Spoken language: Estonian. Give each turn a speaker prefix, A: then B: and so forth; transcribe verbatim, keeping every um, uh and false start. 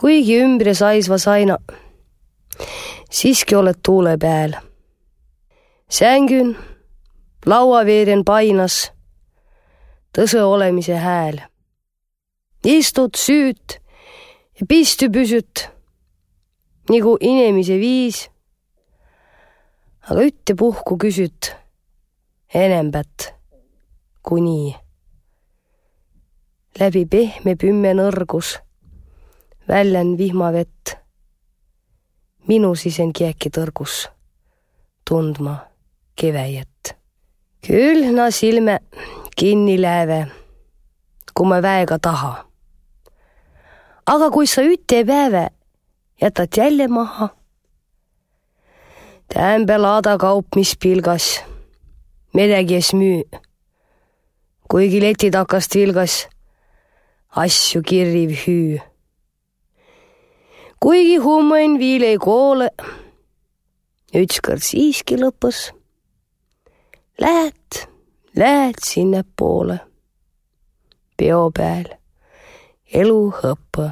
A: kuigi ümbre saisva saina, siiski oled tuule peal. Sängyn, lauaveeren painas, tõse olemise hääl. Istud, süüt ja pisty püsyt, nagu inemise viis, aga ütte puhku küsyt enembät kui nii. Läbi pehme pümme nõrgus, väljän vihmavett, minu sisen kieki tõrgus, tundma keväjet. Külna silme kinni lääve, kui ma väega taha. Aga kui sa ütte päeve jätad jälle maha, tämbe laada kaup, mis pilgas, midagi es müü, kuigi leti takast vilgas, asju kirriv hüü. Kuigi hummain viil ei koole, ükskord siiski lõpus, lähed, lähed sinne poole, peo peal elu hõppa.